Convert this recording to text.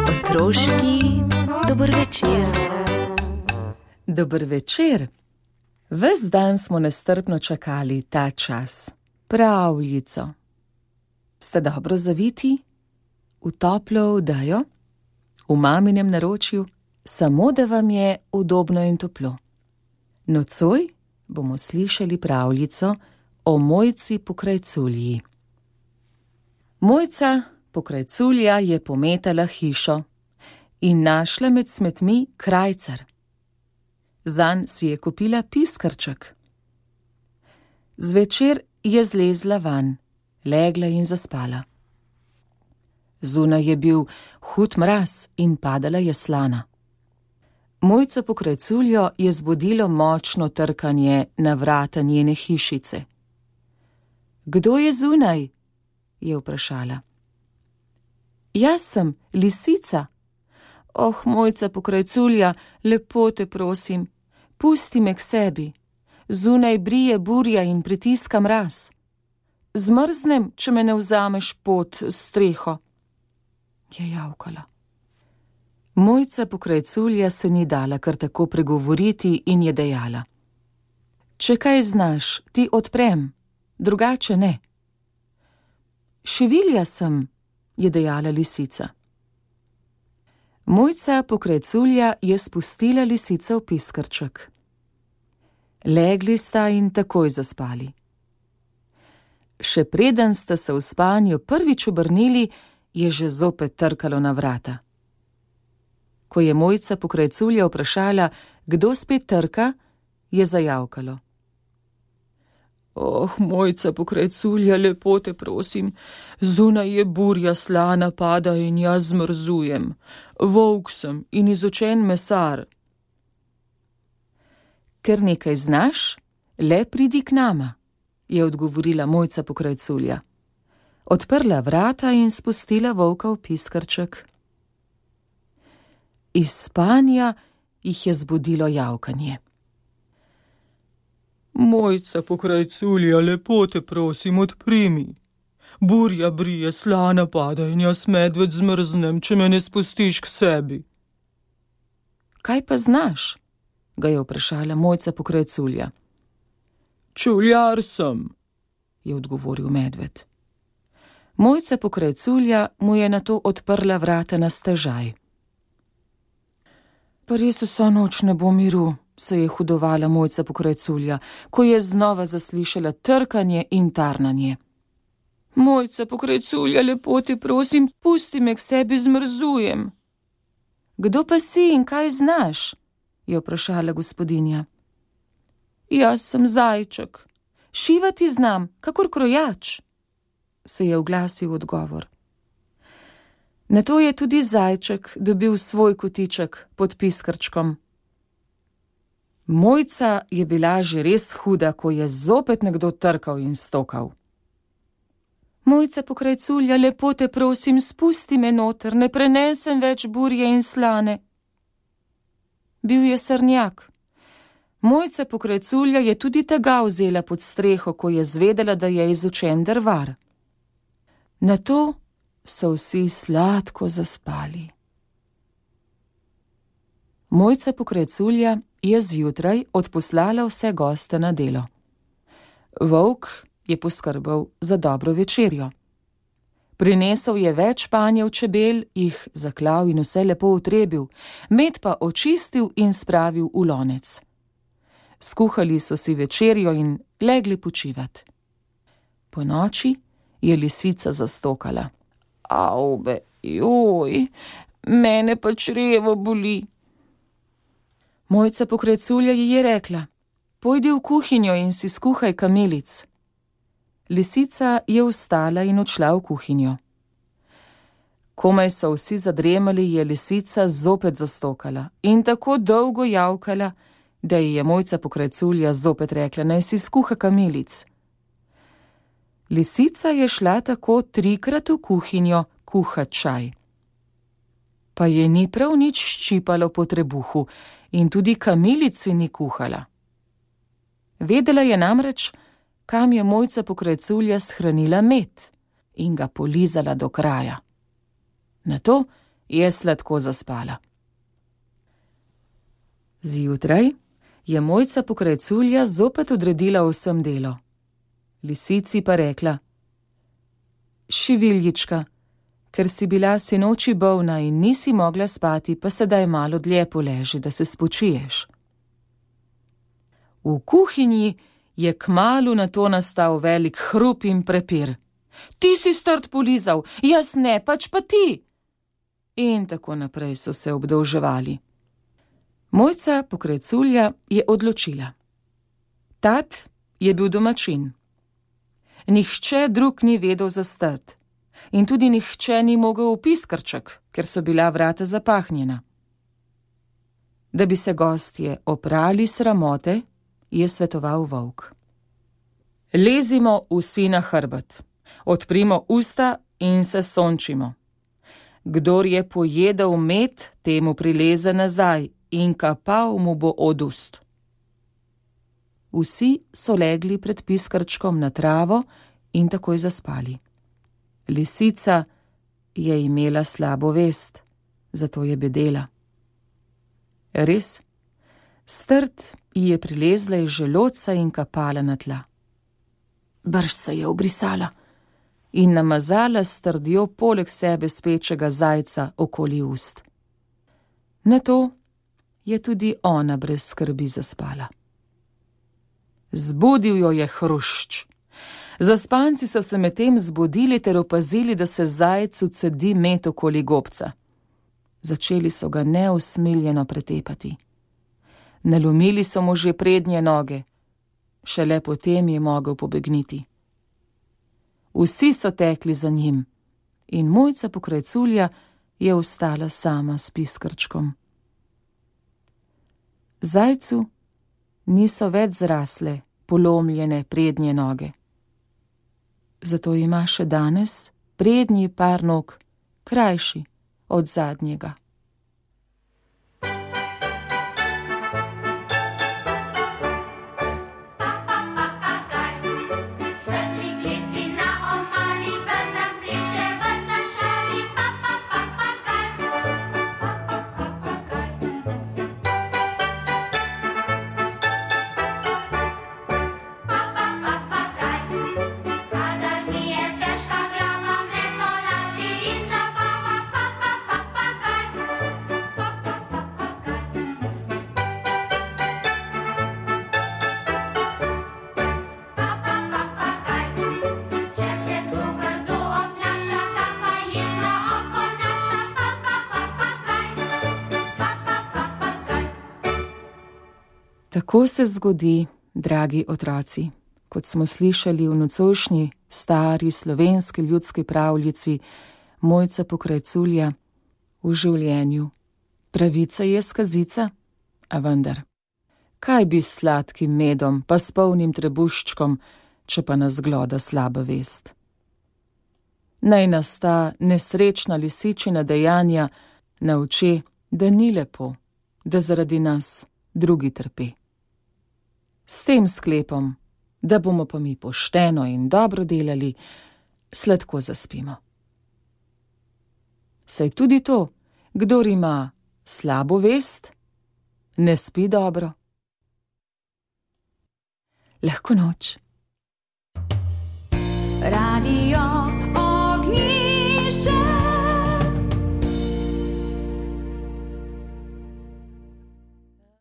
Otroški dober večer. Dober večer. Ves dan smo nestrpno čakali ta čas, pravljico. Ste dobro zaviti? V toplo odejo? V maminem naročju? Samo da vam je udobno in toplo. Nocoj bomo slišali pravljico o Mojci Pokrajculji. Mojca Pokrajculja je pometala hišo in našla med smetmi krajcar. Zanj si je kupila piskrček. Zvečer je zlezla van, legla in zaspala. Zunaj je bil hud mraz in padala je slana. Mojco Pokrajculjo je zbudilo močno trkanje na vrata njene hišice. Kdo je zunaj? Je vprašala. Jaz sem, lisica. Oh, Mojca Pokrajculja, lepo te prosim, pusti me k sebi. Zunaj brije burja in pritiska mraz. Zmrznem, če me ne vzameš pod streho. Je javkala. Mojca Pokrajculja se ni dala kar tako pregovoriti in je dejala. Če kaj znaš, ti odprem, drugače ne. Šivilja sem, je dejala lisica. Mojca Pokrajculja je spustila lisico v piskrček. Legli sta in takoj zaspali. Še preden sta se v spanju prvič obrnili, je že zopet trkalo na vrata. Ko je Mojca Pokrajculja vprašala, kdo spet trka, je zajavkalo. Oh, Mojca Pokrajculja, lepo te prosim, zunaj je burja, slana pada in jaz zmrzujem. Volk sem in izučen mesar. Ker nekaj znaš, le pridi k nama, je odgovorila Mojca Pokrajculja. Odprla vrata in spustila volka v piskrček. Iz spanja jih je zbudilo javkanje. Mojca Pokrajculja, lepo te prosim, odpri mi. Burja brije, slana pada in jaz medved zmrznem, če me ne spustiš k sebi. Kaj pa znaš? Ga je vprašala Mojca Pokrajculja. Čevljar sem, je odgovoril medved. Mojca Pokrajculja mu je nato odprla vrata na stežaj. Pa res vso noč ne bo miru, se je hudovala Mojca Pokrajculja, ko je znova zaslišala trkanje in tarnanje. Mojca Pokrajculja, lepo te prosim, pusti me k sebi, zmrzujem. Kdo pa si in kaj znaš? Je vprašala gospodinja. Jaz sem zajček. Šivati znam, kakor krojač, se je oglasil odgovor. Nato je tudi zajček dobil svoj kotiček pod piskrčkom. Mojca je bila že res huda, ko je zopet nekdo trkal in stokal. Mojca Pokrajculja, lepo te prosim, spusti me noter, ne prenesem več burje in slane. Bil je srnjak. Mojca Pokrajculja je tudi tega vzela pod streho, ko je zvedela, da je izučen drvar. Nato so vsi sladko zaspali. Mojca Pokrajculja je zjutraj odposlala vse goste na delo. Volk je poskrbel za dobro večerjo. Prinesel je več panjev čebel, jih zaklal in vse lepo utrebil, med pa očistil in spravil v lonec. Skuhali so si večerjo in legli počivat. Po noči je lisica zastokala. Avbe, joj, mene pa črevo boli. Mojca Pokrajculja ji je rekla, pojdi v kuhinjo in si skuhaj kamilic. Lisica je vstala in odšla v kuhinjo. Komaj so vsi zadremali, je lisica zopet zastokala in tako dolgo javkala, da ji je Mojca Pokrajculja zopet rekla, naj si skuha kamilic. Lisica je šla tako 3-krat v kuhinjo kuhat čaj. Pa je ni prav nič ščipalo po trebuhu in tudi kamilici ni kuhala. Vedela je namreč, kam je Mojca Pokrajculja shranila med in ga polizala do kraja. Nato je sladko zaspala. Zjutraj je Mojca Pokrajculja zopet odredila vsem delo. Lisici pa rekla: Šiviljička, ker si bila sinoči bolna in nisi mogla spati, pa sedaj malo dlje poleži, da se spočiješ. V kuhinji je kmalu nato nastal velik hrup in prepir. Ti si strt polizal, jaz ne, pač pa ti! In tako naprej so se obdolževali. Mojca Pokrajculja je odločila. Tat je bil domačin. Nihče drug ni vedel za strt in tudi nihče ni mogel v piskrček, ker so bila vrata zapahnjena. Da bi se gostje oprali sramote, je svetoval volk. Lezimo vsi na hrbet, odprimo usta in se sončimo. Kdor je pojedel med, temu prileze nazaj in kapal mu bo od ust. Vsi so legli pred piskrčkom na travo in takoj zaspali. Lisica je imela slabo vest, zato je bedela. Res, strt ji je prilezla iz želodca in kapala na tla. Brž se je obrisala in namazala s trdjo poleg sebe spečega zajca okoli ust. Nato je tudi ona brez skrbi zaspala. Zbudil jo je hrušč. Zaspanci so se medtem zbudili ter opazili, da se zajcu cedi med okoli gobca. Začeli so ga neusmiljeno pretepati. Nalomili so mu že prednje noge, šele potem je mogel pobegniti. Vsi so tekli za njim in Mojca Pokrajculja je ostala sama s piskrčkom. Zajcu niso več zrasle polomljene prednje noge. Zato ima še danes prednji par nog krajši od zadnjega. Tako se zgodi, dragi otroci, kot smo slišali v nocojšnji stari slovenski ljudski pravljici Mojca Pokrajculja, v življenju. Pravica je skazica, a vendar. Kaj bi s sladkim medom pa s polnim trebuščkom, če pa nas gloda slaba vest? Naj nas ta nesrečna lisičina dejanja nauči, da ni lepo, da zaradi nas drugi trpi. S tem sklepom, da bomo pa mi pošteno in dobro delali, sladko zaspimo. Saj tudi to, kdor ima slabo vest, ne spi dobro. Lahko noč. Radio